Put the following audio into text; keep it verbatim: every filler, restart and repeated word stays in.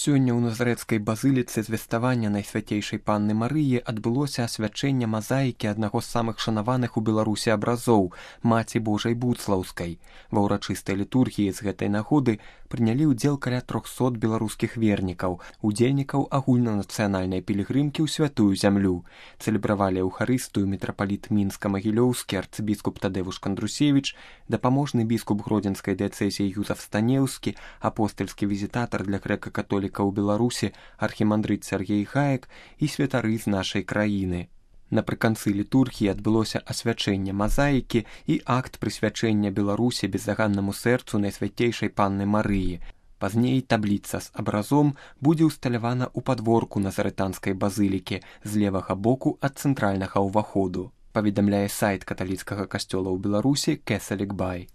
Сёння ў Назарэцкай базыліцы звеставання Найсвяцейшай Панны Марыі адбылося асвячэнне мазаікі аднаго з самых шанаваных у Беларусі абразоў Маці Божай Буцлаўскай. Ва ўрачыстай літургіі з гэтай нагоды прынялі ўдзел каля трохсот беларускіх вернікаў, удзельнікаў агульнанацыянальнай пілігрымкі ў святую зямлю. Цэлебравалі эўхарыстыю мітрапаліт Мінска-Магілёўскі арцыбіскуп Тадэвуш Кандрусевіч, дапаможны біскуп Гродзенскай дыяцэзіі Юзаф Станеўскі, апостальскі візітатар для грэка-католікаў у Беларусі архімандрыт Сяргей Хаек і святары з нашай краіны. Напрыканцы літургіі адбылося асвячэнне мазаікі і акт прысвячэння Беларусі бездаганнаму сэрцу Найсвяцейшай Панны Марыі. Пазней табліца з абразом будзе ўсталявана ў падворку Назарэтанскай базылікі з левага боку ад цэнтральнага ўваходу, паведамляе сайт каталіцкага касцёла ў Беларусі Кэсалік Бай.